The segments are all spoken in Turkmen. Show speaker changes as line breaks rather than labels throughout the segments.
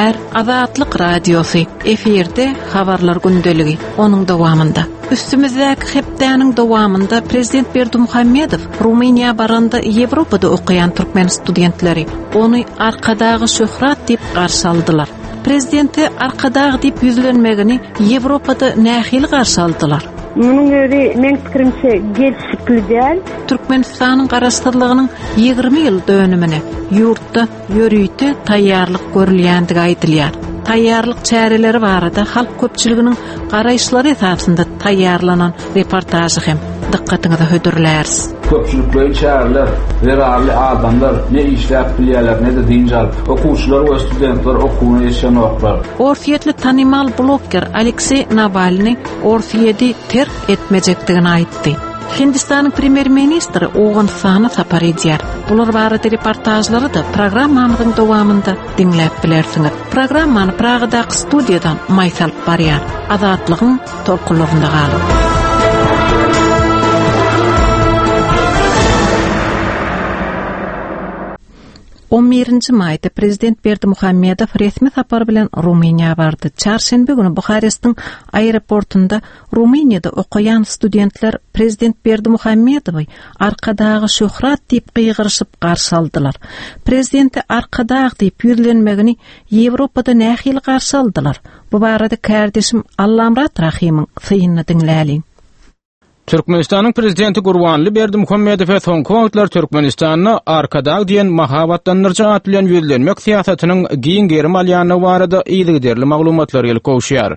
Gepleýär Azatlyk Radiosy, efirde Habarlar gündeligi, onuň dowamynda. Üstümizdäki hepdäniň dowamynda prezident Berdimuhamedow Rumyniýa baranda Ýewropada okaýan türkmen studentleri ony Arkadaga şöhrat diýip garşy aldylar. Prezidente Arkadag diýip ýüzlenmegini Ýewropada nähili garşy aldylar?
Munuň özi, meň pikirimçe, gelşikli däl.
Türkmenistanyň Garaşsyzlygynyň 20 ýyl dönümine ýurtda ýörite taýýarlyk görülýändigi aýdylýar. Taýýarlyk çäreleri barada halk köpçüliginiň garaýyşlary esasynda taýýarlanan reportažy hem dykgatyňyza hödürläris.
Köpçülikleýin çäreler zerarly adamlar ne işläp bilýärler, ne-de dynç alyp. Okuwçylar we studentler okuwyna ýetişenoklar.
Orsýetli tanymal blogger Alekseý Nawalnyý Orsýeti terk etmejekdigini aýtdy. Hindistanyň premýer-ministri Owganystana sapar edýär. Bular barada reportažlary-da programmamyzyň dowamynda diňläp bilersiňiz. Programmany Pragadaky studiýadan Maýsa alyp barýar. Azatlygyň tolkunlarynda galyň. On birinji maýda prezident Berdimuhamedow resmi sapar bilen Rumyniýa bardy. Çarşenbe güni Buharestiň aeroportunda Rumyniýada okaýan studentler prezident Berdimuhamedowy Arkadaga şöhrat diýip gygyryşyp garşy aldylar. Prezidente Arkadag diýip ýüzlenmegini Ýewropada nähili garşy aldylar? Bu barada kärdeşim Allamyrat Rahymyň synyny diňläliň.
Türkmenistanyň Prezidenti Gurbanly Berdimuhamedowa soňky wagtlar Türkmenistanda Arkadag diýen mahabatlandyryjy at bilen ýüzlenmek syýasatynyň giň gerim alýandygy barada yzygiderli maglumatlar gelip gowuşýar.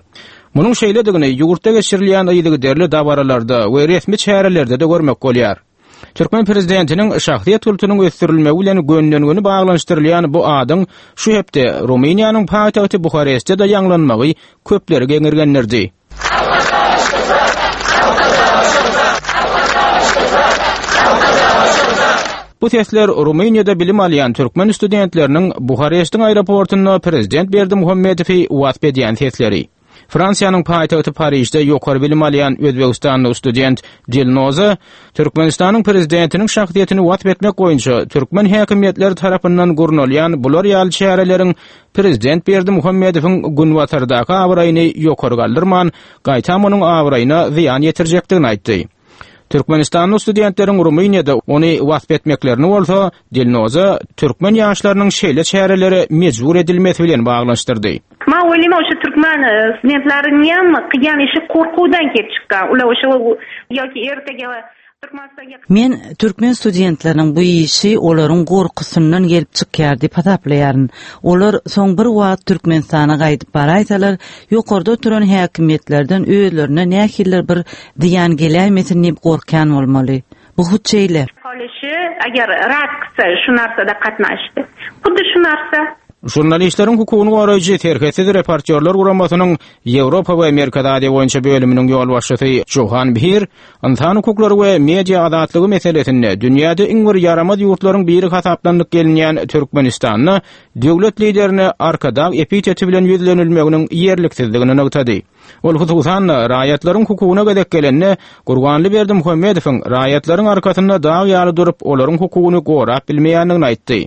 Munuň şeýledigini ýurtda geçirilýän yzygiderli dabaralarda we resmi çärelerde-de görmek bolýar. Türkmen prezidentiniň şahsyýet kultunyň ösdürilmegi bilen gönden-göni baglanyşdyrylýan bu adyň şu hepde Rumyniýanyň paýtagty Buharestde-de ýaňlanmagy köpleri geňirgendirdi. Bu sesler Rumyniýada bilim alýan türkmen studentleriniň Buharestiň aeroportunda prezident Berdimuhamedowy wasp edýän sesleri. Fransiýanyň paýtagty Parižde ýokary bilim alýan özbegistanly student Dilnoza Türkmenistanyň prezidentiniň şahsyýetini wasp etmek boýunça türkmen häkimiýetleri tarapyndan gurnalýan bular ýaly çäreleriň prezident Berdimuhamedowyň Günbatardaky abraýyny ýokary galdyrman, gaýtam onuň abraýyna zyýan ýetirjekdigini aýtdy. Türkmenistanly studentleriň Rumyniýada ony wasp etmeklerini bolsa, Dilnoza türkmen ýaşlarynyň şeýle çärelere mejbur edilmesi bilen baglanyşdyrdy.
Man o'ylayman o'sha turkman studentlariniyam qilgan ishi qo'rquvdan kelib chiqqan. Ular o'sha yoki ertaga
Men türkmen studentleriniň bu işi olaryň gorkusyndan gelip çykýar diýip hasaplaýaryn. Olar soň bir wagt Türkmenistana gaýdyp baraýsalar, ýokarda oturan häkimiýetlerden özlerine nähilidir bir zyýan geläýmesin diýip gorkýan bolmaly. Bu hut şeýle.
Qolishi agar rad qilsa shu narsada qatnashishdi. Xuddi shu narsa.
Žurnalistleriň hukugyny goraýjy Serhetsiz reportýorlar guramasynyň Ýewropa we Merkezi Aziýa boýunça bölüminiň ýolbaşçysy Johan Bhir Ynsan hukuklary we media azatlygy meselesinde dünýäde iň bir ýaramaz ýurtlaryň biri hasaplanylyp gelinýän Türkmenistanda döwlet liderine Arkadag epiteti bilen ýüzlenilmeginiň ýerliksizdigini nygtady. Ol hususan-da, raýatlaryň hukugyna gezek gelende, Gurbanly Berdimuhamedowyň raýatlaryň arkasynda dag ýaly durup, olaryň hukugyny gorap bilmeýändigini aýtdy.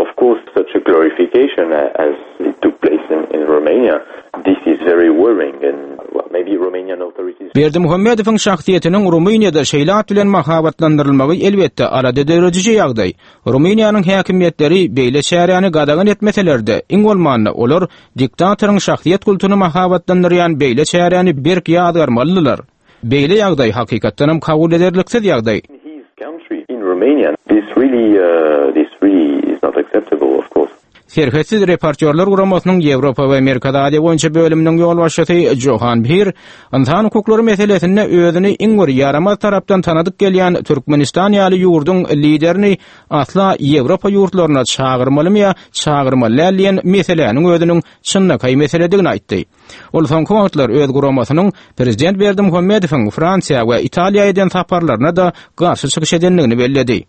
Of course such a glorification as it took place in in Romania this is very worrying and well maybe Romanian authorities
Berdimuhamedowyň şahsyýetiniň Rumyniýada şeýle at bilen mahabatlandyrylmagy elbetde alada dörediji ýagdaý. Rumyniýanyň häkimiýetleri beýle çäräni gadagan etmeseler-de, iň bolmanda olar diktatoryň şahsyýet kultuny mahabatlandyrýan beýle çäräni berk ýazgarmalydylar. Beýle ýagdaý hakykatdanam kabul ederliksiz ýagdaý. Serhetsiz reportýorlar guramasynyň Ýewropa we Merkezi Aziýa boýunça bölüminiň ýolbaşçysy Johan Bhir ynsan hukuklary meselesinde özüni iň bir ýaramaz tarapdan tanadyp gelýän Türkmenistan ýaly ýurduň liderini asla Ýewropa ýurtlaryna çagyrmalymy ýa çagyrmaly däl diýen meseläniň özüniň çynlakaý meseledigini aýtdy. Ol soňky wagtlar öz guramasynyň prezident Berdimuhamedowyň Fransiýa we Italiýa eden saparlaryna-da garşy çykyş edendigini belledi.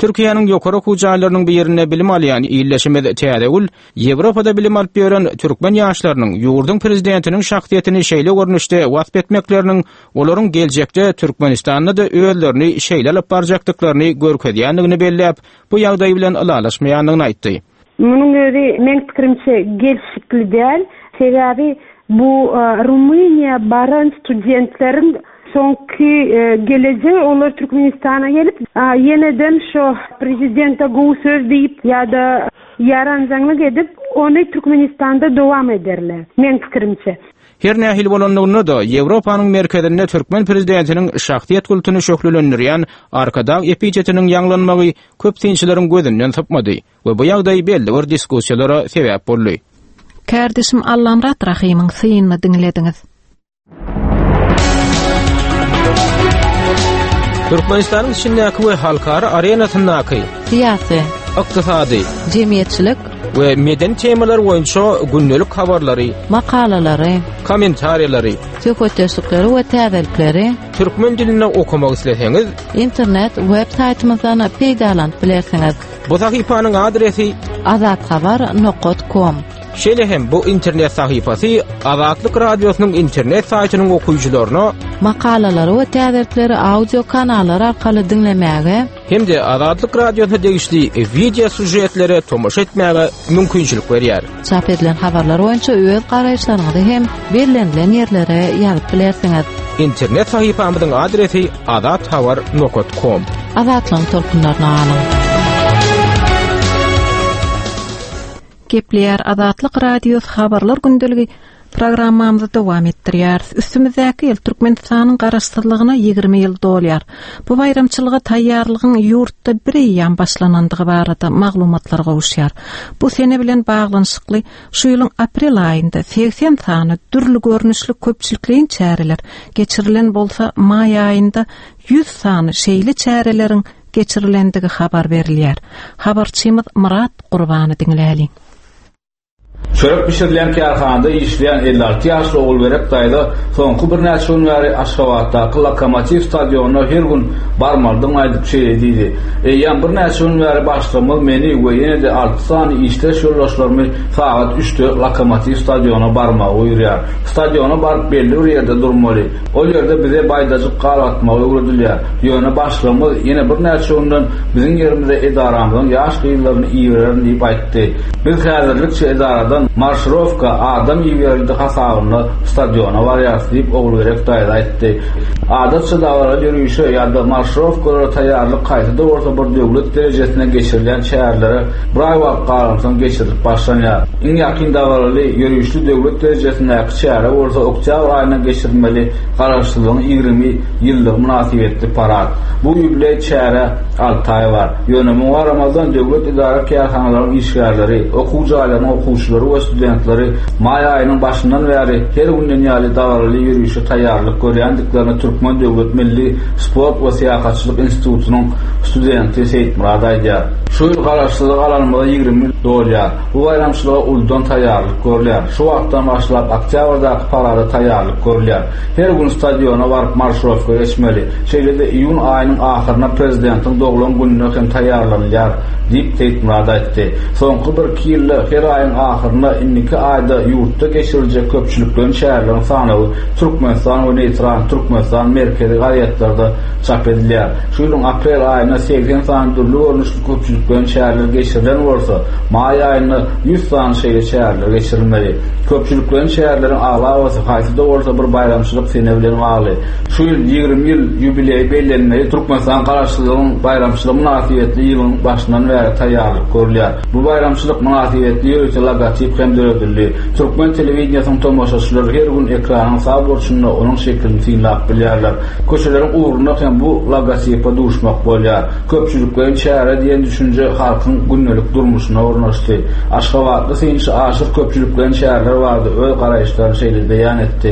Türkiýäniň ýokary okuw jaýlarynyň birinde bilim alýan ildeşimiz Täzegül Ýewropada bilim alyp ýören türkmen ýaşlarynyň ýurduň prezidentiniň şahsyýetini şeýle görnüşde wasp etmekleriniň olaryň geljekde Türkmenistanda-da özlerini şeýle alyp barjakdyklaryny görkezýändigini belläp, bu ýagdaý bilen ylalaşmaýandygyny aýtdy.
Munuň özi meň pikirimçe gelşikli däl. Sebäbi bu Rumyniýa baran studentleriň soňky gelejegi olar Türkmenistana gelip ýeneden şo prezidente gowy söz diýip ýa-da ýaranjaňlyk edip ony Türkmenistanda dowam ederler meň pikirimçe.
Her nähili bolanlygynda-da, Ýewropanyň merkezinde türkmen prezidentiniň şahsyýet kultuny şöhlelendirýän Arkadag epitetiniň ýaňlanmagy köp synçylaryň gözünden sypmady we bu ýagdaý belli bir diskussiýalara sebäp boldy.
Kärdeşim Allamyrat Rahymyň synyny diňlediňiz.
Türkmenistanyň içindäki we halkara arenasyndaky
syýasy,
ykdysady,
jemgyýetçilik
we medeni temalar boýunça gündelik habarlary,
makalalary,
kommentariýalary,
söhbetdeşlikleri we täzelikleri
türkmen dilinde okamak isleseňiz,
internet web saýtymyzdan peýdalanyp bilersiňiz.
Bu sahypanyň adresi
azathabar nokat kom.
Şeýle hem bu internet sahypasy Azatlyk Radiosynyň internet saýtynyň okyjylaryna
makalalary we täzelikleri audio kanallar arkaly diňlemäge
hem-de Azatlyk Radiosyna degişli wideo sýužetlere tomaşa etmäge mümkinçilik berýär.
Çap edilen habarlar boýunça öz garaýyşlaryňyzy hem bellenilen ýerlere ýazyp bilersiňiz.
Internet sahypamyzyň adresi azathabar nokat kom.
Azatlygyň tolkunlaryna galyň!
Gepleýär Azatlyk Radiosy Habarlar gündeligi programmamyzy dowam etdirýäris. Üstümizdäki ýyl Türkmenistanyň Garaşsyzlygyna 20 ýyl dolýar. Bu baýramçylyga taýýarlygyň ýurtda bireýýäm başlanandygy barada maglumatlar gowuşýar. Bu sene bilen baglanyşykly şu ýylyň aprel aýynda 80 sany dürli görnüşli köpçülikleýin çäreler geçirilen bolsa, maý aýynda 100 sany şeýle çäreleriň geçirilendigi habar berilýär. Habarçymyz Myrat Gurbany diňläliň.
Çörek bişirilýän kärhanada işleýän 56 ýaşly Ogulgerek daýza soňky birnäçe gün bäri Aşgabatdaky Lokomotiw stadionyna her gün barmalydygyny aýdyp şeýle diýdi, Eýýäm birnäçe gün bäri başlygymyz meni we ýene-de alty sany işdeş ýoldaşlarymy sagat üçde Lokomotiw stadionyna barmagy buýurýar. Stadiona baryp belli bir ýerde durmaly. Ol ýerde bize baýdajyk gar atmagy öwredilýär. Ýöne başlygymyz ýene birnäçe günden biziň ýerimize edaramyzyň ýaş gyzlaryny ibererin diýip aýtdy. Biz häzirlikçe edaradan marşirowka adam iberildi hasabynda stadiona barýarys diýip Ogulgerek daýza aýtdy. Adatça dabaraly ýörişe ýa-da marşirowkalara taýýarlyk haýsy-da bolsa bir döwlet derejesinde geçirilýän çärelere bir aý wagt galansoň geçirilip başlanýar. Iň ýakyn dabaraly ýörişli döwlet derejesindäki Çäre bolsa oktýabr aýynda geçirilmeli Garaşsyzlygyň 20 ýyllygy mynasybetli parad. Bu ýubileý çärä alty aý bar. Ýöne muňa garamazdan döwlet edara-kärhanalaryň işgärleri, okuw jaýlarynyň okuwçylary we studentleri maý aýynyň başyndan bäri her günden ýaly dabaraly ýörişe taýýarlyk görýändiklerini Türkmen döwlet milli sport we syýahatçylyk institutynyň studenti Seýitmyrat aýdýar. Şu ýyl Garaşsyzlygy alanymyza 20 ýyl dolýar. Bu baýramçylyga uludan taýýarlyk görülýär. Şu wagtdan başlap oktýabrdaky parada taýýarlyk görülýär. Her gün stadiona baryp marşirowka geçmeli. Şeýle-de iýun aýynyň ahyryna prezidentiň doglan gününe hem taýýarlanylýar, diýip, Seýitmyrat aýtdy. Soňky birki ýylda her aýyň ahyrynda indiki aýda ýurtda geçiriljek köpçülikleýin çäreleriň sanawy Türkmenistan we Neýtral Türkmenistan merkezi gazetlerde çap edilýär. Şu ýylyň aprel aýynda 80 sany dürli görnüşli Köpçülikleýin çäreler geçirilen bolsa, maý aýynda 100 sany şeýle çäreler geçirilmeli. Köpçülikleýin çäreleriň aglabasy haýsy-da bolsa bir baýramçylyk sene bilen bagly. Şu ýyl 20 ýyl ýubileýi bellenmeli Türkmenistan Garaşsyzlygyň baýramçylygy mynasybetli ýylyň başyndan bäri taýýarlyk görülýär. Bu baýramçylyk mynasybetli ýörite logotip hem döredildi. Türkmen telewideniýesiniň tomaşaçylary her gün ekranyň sag burçunda onuň şekilini synlap bilýärler. Köçeleriň ugrunda hem bu logotipe duşmak bolýar. Köpçülikleýin çäre diýen düşünje halkyň gündelik durmuşyna ornaşdy. Aşgabatly synçy Aşyr köpçülikleýin çäreler barada öz garaýyşlaryny şeýle beýan etdi,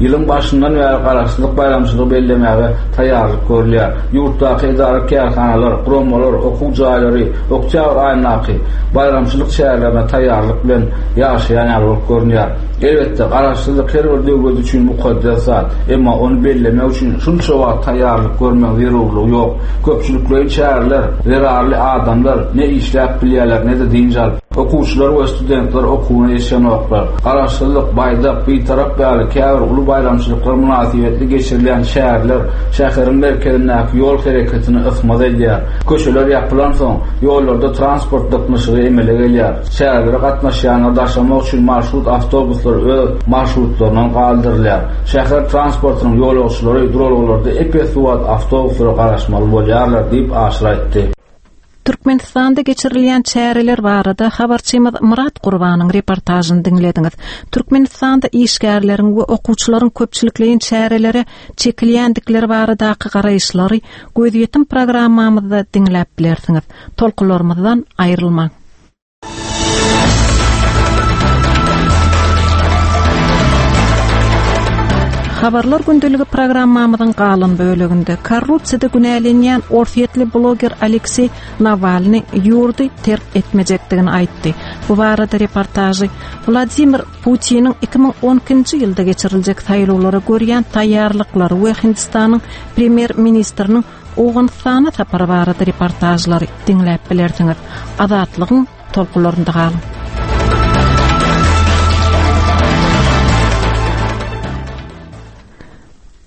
Ýylyň başyndan bäri Garaşsyzlyk baýramçylygy bellemäge taýýarlyk görülýär. Ýurtdaky edara-kärhanalar, guramalar, okuw jaýlary oktýabr aýyndaky baýramçylyk çärelerine taýýarlyk bilen ýaşaýan ýaly bolup görünýär. Elbetde, Garaşsyzlyk her bir döwlet üçin mukaddes zat. Emma ony bellemek üçin şunça wagt taýýarlyk görmegiň zerurlygy ýok. Köpçülikleýin çäreler zerarly adamlar ne işläp bilýärler, ne-de dynç alyp. Okuwçylar we studentler okuwyna ýetişenoklar. Garaşsyzlyk, Baýdak, Bitarap ýaly käbir uly baýramçylyklar mynasybetli geçirilýän çäreler şäheriň merkezindäki ýol hereketini ysmaz edýär. Köçeler ýapylansoň, ýollarda transport dyknyşygy emele gelýär. Çärelere gatnaşýanlary daşamak üçin marşrut awtobuslar öz marşrutlaryndan galdyrylýar. Şäher transportynyň ýolagçylary duralgalarda ep-esli wagt awtobuslara garaşmaly bolýarlar diýip, Aşyr aýtdy.
Türkmenistanda geçirilýän çäreler barada habarçymyz Myrat Gurbanyň reportažyny diňlediňiz. Türkmenistanda işgärleriň we okuwçylaryň köpçülikleýin çärelere çekilýändikleri baradaky garaýyşlary Gözýetim programmamyzda diňläp bilersiňiz. Tolkunlarymyzdan aýrylmaň. Habarlar gündeligi programmamyzyň galan böleginde korrupsiýada günälenýän orsýetli bloger Alekseý Nawalny ýurdy terk etmejekdigini aýtdy. Bu barada reportažy Wladimir Putiniň 2012-nji ýylda geçiriljek saýlawlara görýän taýýarlyklary we Hindistanyň premýer-ministriniň Owganystana sapary barada reportažlary diňläp bilersiňiz. Azatlygyň tolkunlarynda galyň.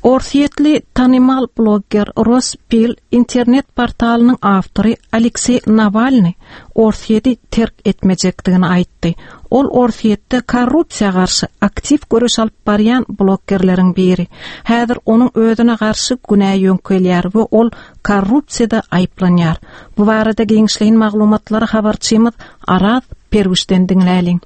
Orsýetli tanymal blogger Ross Pil internet portalynyň awtory Alekseý Nawalny Orsýeti terk etmejekdigini aýtdy. Ol Orsýetde korrupsiýa garşy aktiw göreş alyp barýan bloggerleriň biri. Häzir onuň özüne garşy günä ýöňkelýär we ol korrupsiýada aýyplanýar. Bu barada giňişleýin maglumatlary habarçymyz Araz Perwişden diňläliň.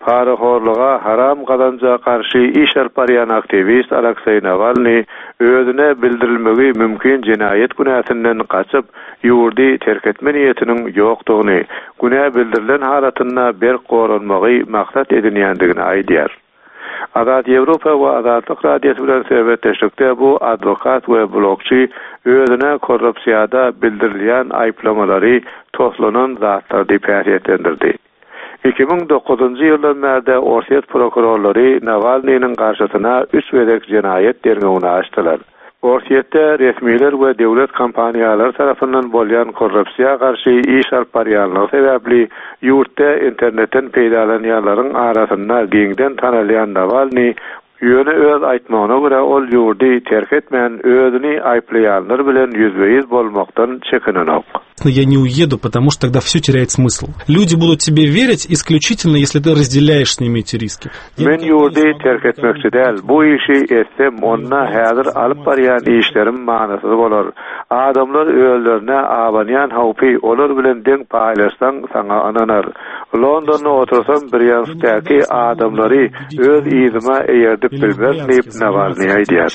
Parahorluga, haram gazanja garşy iş alyp barýan aktiwist Alekseý Nawalnyý özüne bildirilmegi mümkin jenaýat günäsinden gaçyp, ýurdy terk etme niýetiniň ýokdugyny, günä bildirilen halatynda berk goranmagy maksat edinýändigini aýdýar. Azat Ýewropa we Azatlyk Radiosy bilen söhbetdeşlikde bu adwokat we blogçy özüne korrupsiýada bildirilýän aýyplamalary toslanan zatlar diýip häsiýetlendirdi. 2009-njy ýyldan bärde orsýet prokurorlary Nawalnynyň garşysyna üç gezek jenaýat derňewini açdylar. Orsýetde resmiler we döwlet kompaniýalary tarapyndan bolýan korrupsiýa garşy iş alyp barýanlygy sebäpli ýurtda internetden peýdalanýanlaryň arasynda giňden tanalýan Nawalnyý Ýöne öz aýtmagyna görä ol ýurdy terk etmän, özüni aýyplaýanlar bilen ýüzbe-ýüz bolmakdan çekinenok.
Я не уеду, потому что тогда все теряет смысл. Люди будут тебе верить исключительно, если ты разделяешь с ними эти риски.
Men ýurdy terk etmekçi däl. Bu işi etsem, onda häzir alyp barýan işlerim manysyz bolar. Adamlar özlerine abanýan howpy olar bilen deň paýlaşsaň, saňa ynanar. Londonda otursam, Brýanskdäki adamlary öz yzyma eýerdip bilmerin diýip, Nawalnyý aýdýar.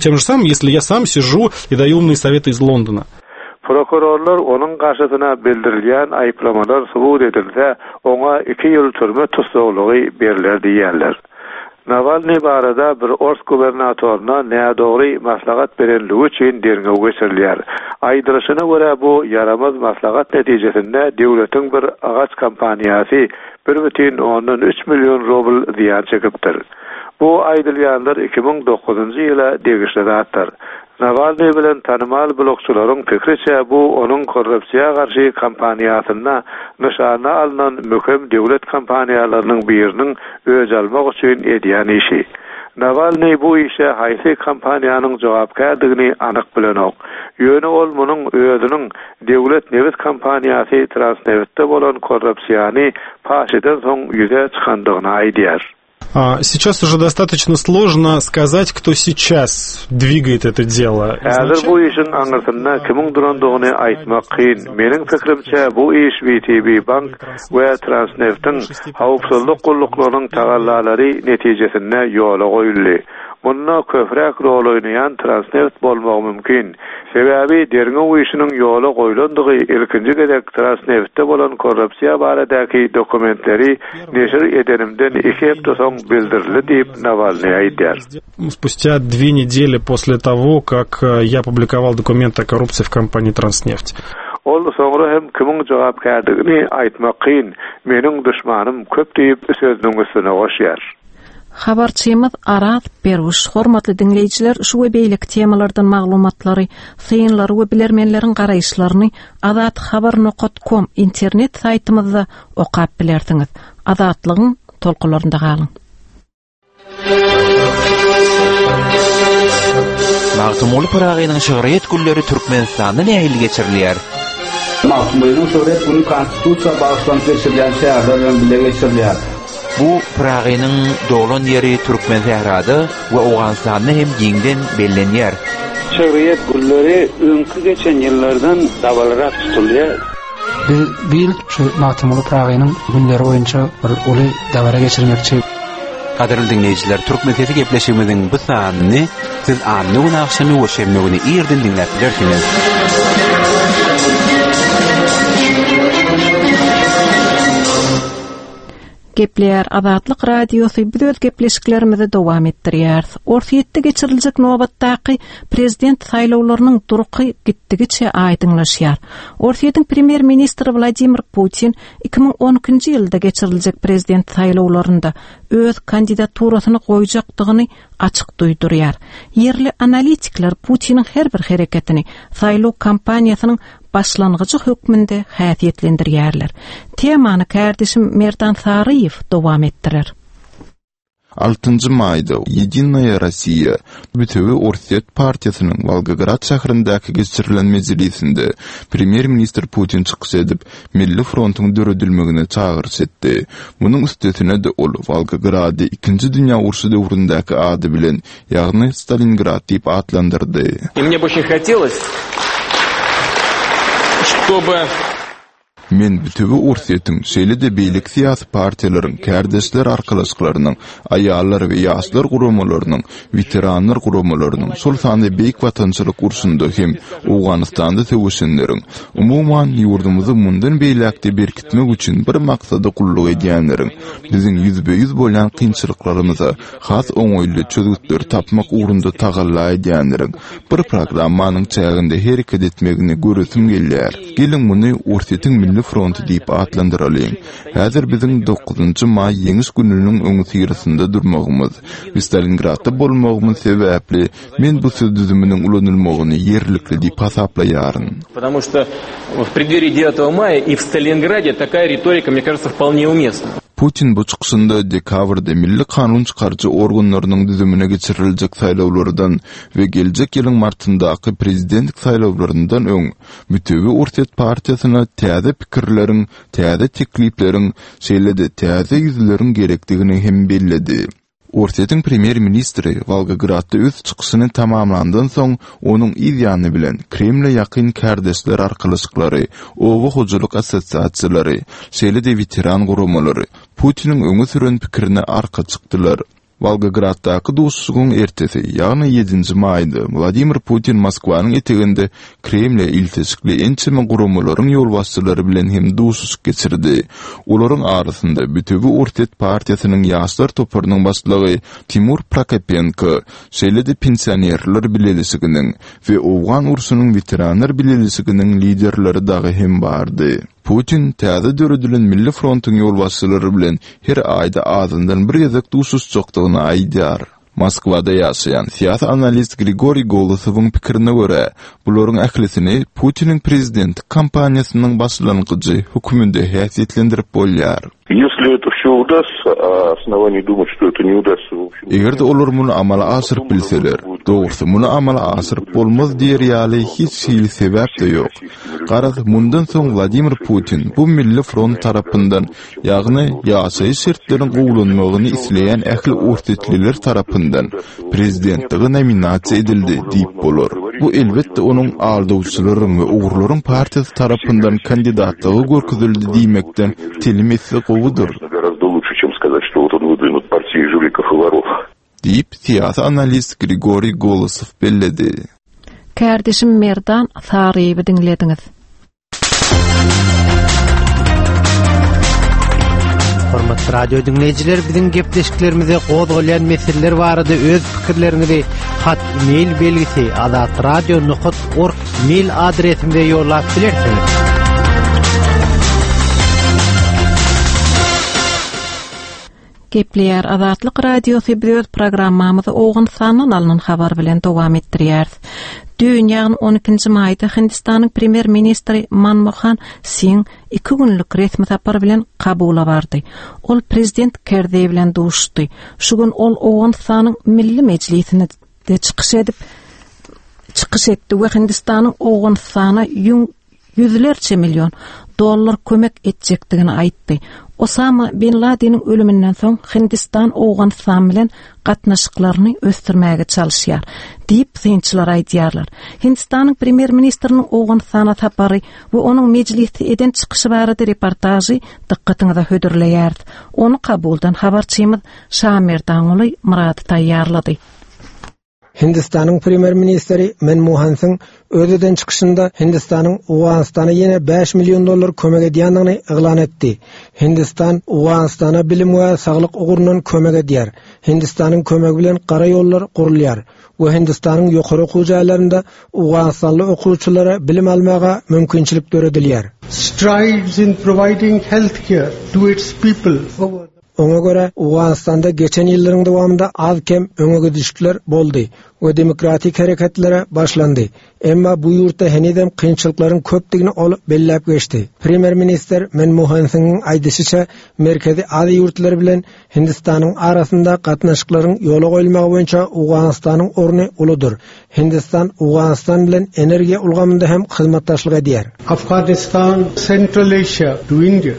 Тем же самым, если я сам сижу и даю умные советы из Лондона.
Prokurorlar onuň garşysyna bildirilýän aýyplamalar subut edilse, oňa iki ýyl türme tussaglygy berler diýýärler. Nawalnyý barada bir ors gubernatoryna nädogry maslahat berenligi üçin derňew geçirilýär. Aýdylyşyna görä, bu ýaramaz maslahat netijesinde döwletiň bir agaç kompaniýasy 1,3 million rubl zyýan çekipdir. Bu aýdylýanlar 2009-njy ýyla degişli zatlar. Nawalnyý bilen tanymal blogçylaryň pikriçe, bu onuň korrupsiýa garşy kampaniýasynda nyşana alnan möhüm döwlet kompaniýalarynyň biriniň öç almak üçin edýän işi. Nawalnyý bu işe haýsy kompaniýanyň jogapkärdigini anyk bilenok. Ýöne ol munuň özüniň döwlet nebit kompaniýasy Transnebitde bolan korrupsiýany paş edensoň ýüze çykandygyny aýdýar.
Сейчас уже достаточно сложно сказать, кто сейчас двигает это дело.
Häzir bu işiň aňyrsynda kimiň durandygyny aýtmak kyn. Meniň pikirimçe, bu iş WTB Bank we Transneftiň howpsuzlyk gulluklarynyň tagallalary netijesinde ýola goýuldy. Munda köpräk rol oýnaýan Transneft bolmagy mümkin. Sebäbi derňew işiniň ýola goýlandygy ilkinji gezek Transneftde bolan korrupsiýa baradaky dokumentleri neşir edenimden iki hepde soň bildirildi diýip, Nawalnyý aýdýar.
Спустя две недели после того, как я опубликовал документы о коррупции в компании Транснефть.
Ol soňra hem kimiň jogapkärdigini aýtmak kyn, meniň duşmanym köp diýip, sözüniň üstüne goşýar.
Habarçymyz Araz Berwüş hormatly diňleýjiler şu we beýleki temalardan maglumatlary, synlary we bilermenleriň garaýyşlaryny azathabar nokat kom internet saýtymyzda okap bilersiňiz. Azatlygyň tolkunlarynda galyň.
Magtymguly Pyragynyň şygryýet günleri Türkmenistanda nähili geçirilýär?
Magtymgulynyň şygryýet güni Konstitusiýa bagyşlanyp geçirilýän çäreler bilen bile geçirilýär.
Bu Pyragynyň doglan ýeri Türkmensährada we Owganystanda hem giňden bellenýär.
Şygryýet günleri öňki geçen ýyllardan dabaralyrak tutulýar.
Biz bu ýyl şu Magtymguly Pyragynyň günleri boýunça bir uly dabara geçirmekçi.
Gadyrly diňleýjiler, Türkmen sesi gepleşigimiziň bu sanyny siz anna güni agşamy we şenbe güni irden diňläp bilersiňiz.
Gepleýär Azatlyk Radiosy biz öz gepleşiklerimizi dowam etdirýäris. Orsýetde geçiriljek nobatdaky prezident saýlawlarynyň durky gitdigiçe aýdyňlaşýar. Orsýetiň premýer-ministri Wladimir Putin 2012-nji ýylda geçiriljek prezident saýlawlarynda öz kandidaturasyny goýjakdygyny açyk duýdurýar. Ýerli analitikler Putiniň her bir hereketini saýlaw kampaniýasynyň başlangyjy hökmünde häsiýetlendirýärler. Temany kärdeşim Merdan Saryýew dowam etdirer.
Altynjy maýda Ýedinaýa Rossiýa, Bütewi Orsýet partiýasynyň Wolgograd şäherindäki geçirilen mejlisinde premýer-ministr Putin çykyş edip, Milli frontuň döredilmegine çagyryş etdi. Munuň üstesine-de ol Wolgogrady Ikinji dünýä urşy döwründäki ady bilen, ýagny Stalingrad diýip atlandyrdy.
I mne by oçen hotelos, çtoby.
Men Bütewi Orsýetiň, şeýle-de beýleki syýasy partiýalaryň, kärdeşler arkalaşyklarynyň, aýallar we ýaşlar guramalarynyň, weteranlar guramalarynyň, şol sanda Beýik Watançylyk urşunda hem Owganystanda söweşenleriň, umuman, ýurdumyzy mundan beýläk-de berkitmek üçin bir maksada gulluk edýänleriň, biziň ýüzbe-ýüz bolýan kynçylyklarymyza has oňaýly çözgütleri tapmak ugrunda tagalla edýänleriň bir programmanyň çäginde hereket etmegini göresim gelýär. Geliň, muny Orsýetiň Milli fronty diýip atlandyralyň. Häzir biziň dokuzynjy maý Ýeňiş gününiň öňüsyrasynda durmagymyz we Stalingradda bolmagymyz sebäpli men bu söz düzüminiň ulanylmagyny ýerlikli diýip hasaplaýaryn.
Потому что в преддверии девятого мая и в Сталинграде такая риторика, мне кажется, вполне уместна.
Putin bu çykyşynda dekabrda milli kanun çykaryjy organlarynyň düzümine geçiriljek saýlawlardan we geljek ýylyň martyndaky prezidentlik saýlawlaryndan öň Bütewi Orsýet partiýasyna täze pikirleriň, täze teklipleriň, şeýle-de täze ýüzleriň gerekdigini hem belledi. Orsýetiň premýer-ministri Wolgogradda öz çykyşyny tamamlandan soň, onuň yz ýany bilen Kremle ýakyn kärdeşler arkalaşyklary, oba hojalyk assosiasiýalary, şeýle-de weteran guramalary Putiniň öňe süren pikirine arka çykdylar. Wolgograddaky duşuşygyň ertesi, ýagny ýedinji maýda Wladimir Putin Moskwanyň eteginde Kremle ilteşikli ençeme guramalaryň ýolbaşçylary bilen hem duşuşyk geçirdi. Olaryň arasynda Bütewi Orsýet partiýasynyň ýaşlar toparynyň başlygy Timur Prokopenko, şeýle-de Pensionerler bileleşiginiň we Owgan urşunyň weteranlar bileleşiginiň liderleri dagy hem bardy. Putin täze döredilen Milli frontuň ýolbaşçylary bilen her aýda azyndan bir gezek duşuşjakdygyny aýdýar. Moskwada ýaşaýan syýasy analist Grigoriý Golosowyň pikirine görä, bularyň ählisini Putiniň prezidentlik kampaniýasynyň başlangyjy höküminde häsiýetlendirip bolýar.
Ýesli eto wsýo udassa, a osnowaniý dumat, çto eto ne udasssa, w obşem.
Eger-de olar muny amala aşyryp bilseler, dogrusy, muny amala aşyryp bolmaz diýer ýaly hiç hili sebäp-de ýok. Garaz, mundan soň Wladimir Putin bu Milli front tarapyndan Ýagny, ýaşaýyş şertleriň gowulanmagyny isleýän ähli orsýetliler tarapyndan prezidentlige nominasiýa edildi diýip bolar. Bu, elbetde, onuň aldawçylaryň we ogrularyň partiýasy tarapyndan kandidatlyga görkezildi diýmekden telim esse gowudyr. Diýip, syýasy analist Grigoriý Golosow belledi.
Kärdeşim Merdan Saryýewi diňlediňiz.
Hormatly radio diňleýjiler, biziň gepleşiklerimize gozgalýan meseleler barada öz pikirleriňizi hat mail belgisi azatradio.org mail adresimize ýollap bilersiňiz.
Gepleýär Azatlyk Radiosy biz öz programmamyzy Owganystandan alnan habar bilen dowam etdirýäris. Düýn, ýagny 12-nji maýda Hindistanyň premýer-ministri Manmohan Singh iki günlük resmi sapar bilen Kabula bardy. Ol prezident Kerzeý bilen duşuşdy. Şu gün ol Owganystanyň Milli Mejlisinde çykyş edip, çykyş etdi we Hindistanyň Owganystana ýüň ýüzlerçe million dollar kömek etjekdigini aýtdy. Osama bin Ladeniň ölüminden soň Hindistan Owganystan bilen gatnaşyklaryny ösdürmäge çalyşýar, diýip, synçylar aýdýarlar. Hindistanyň premýer-ministriniň Owganystana sapary we onuň mejlisde eden çykyşy barada reportažy dykgatyňyza hödürleýäris. Ony Kabuldan habarçymyz Şamerdanguly Myrady taýýarlady.
Hindistanyň premýer-ministri Manmohan Singh öz eden çykyşynda Hindistanyň Owganystana ýene 5 million dollar kömek edýändigini yglan etdi. Hindistan Owganystana bilim we saglyk ugrundan kömek edýär. Hindistanyň kömegi bilen gara ýollar gurulýar we Hindistanyň ýokary okuw jaýlarynda owganystanly okuwçylara bilim almaga mümkinçilik döredilýär.
Strides in providing healthcare to its people over the.
Oňa görä, Owganystanda geçen ýyllaryň dowamynda az-kem öňegidişlikler boldy we demokratik hereketlere başlandy. Emma bu ýurtda henizem kynçylyklaryň köpdügini ol belläp geçdi. Premýer-ministr Manmohan Singhiň aýdyşyça, Merkezi Aziýa ýurtlary bilen Hindistanyň arasynda gatnaşyklaryň ýola goýulmagy boýunça Owganystanyň orny uludyr. Hindistan Owganystan bilen energiýa ulgamynda hem hyzmatdaşlyk edýär.
Afghanistan, Central Asia to India.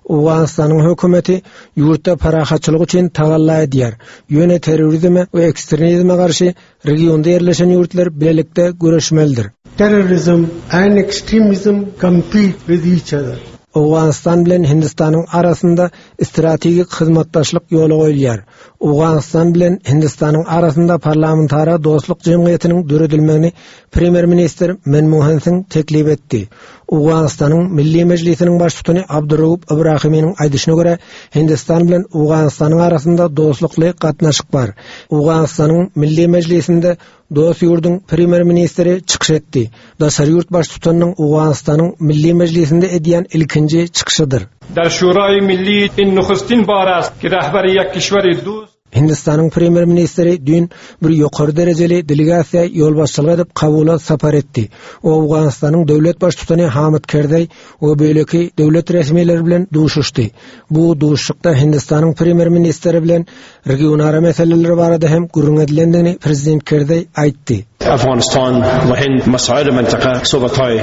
Owganystanyň hökümeti ýurtda parahatçylyk üçin tagalla edýär, ýöne terrorizme we ekstremizme garşy regionda ýerleşen ýurtlar bilelikde göreşmelidir.
Terrorism and extremism compete with each other.
Owganystan bilen Hindistanyň arasynda strategik hyzmatdaşlyk ýola goýulýar. Owganystan bilen Hindistanyň arasynda parlamentara dostluk jemgyýetiniň döredilmegini Premýer-ministr Manmohan Singh teklip etdi. Owganystanyň Milli Mejlisiniň baştutany Abduraup Ibrahiminiň aýdyşyna görä, Hindistan bilen Owganystanyň arasynda dostlukly gatnaşyk bar. Owganystanyň Milli Mejlisinde dost ýurduň premýer-ministri çykyş etdi. Daşary ýurt baştutanynyň Owganystanyň Milli Mejlisinde edýän ilkinji çykyşydyr.
Dar Şuraýy Milli in nuhustin bar ast ki rahbary ýek kişweri dust.
Hindistanyň premýer-ministri düýn bir ýokary derejeli delegasiýa ýolbaşçylyk edip Kabula sapar etdi. Owganystanyň döwlet baştutany Hamid Kerzeý we beýleki döwlet resmileri bilen duşuşdy. Bu duşuşykda Hindistanyň premýer-ministri bilen regionara meseleler barada hem gürrüň edilendigini prezident Kerzeý aýtdy.
Afghanistan we Hind masail mintaka sobatay.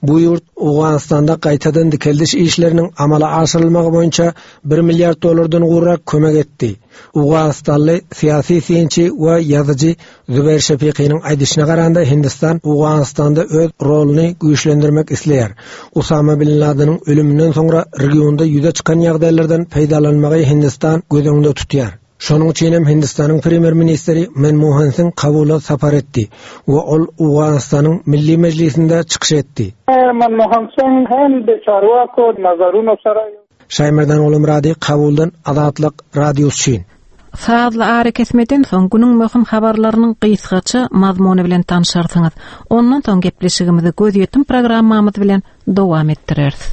Bu ýurt Owganystanda gaýtadan dikeldiş işleriniň amala aşyrylmagy boýunça bir milliard dollardan gowrak kömek etdi. Owganystanly syýasy synçy we ýazyjy Zubair Şefiqiniň aýdyşyna garanda, Hindistan Owganystanda öz roluny güýçlendirmek isleýär. Usama bin Ladeniň ölüminden soňra regionda ýüze çykan ýagdaýlardan peýdalanmagy Hindistan göz öňünde tutýar. Şonuň üçin hem Hindistanyň premýer-ministri Manmohan Singh Kabula sapar etdi we ol Owganystanyň Milli Mejlisinde çykyş etdi.
Manmohan Singh hem de çarwako nazaruno sara.
Şaýmerdan Gulumyrady Kabuldan Azatlyk Radiosy üçin.
Sazly arakesmeden soň günüň möhüm habarlarynyň gysgaça mazmuny bilen tanşarsyňyz. Ondan soň gepleşigimizi Gözýetim programmamyz bilen dowam etdireris.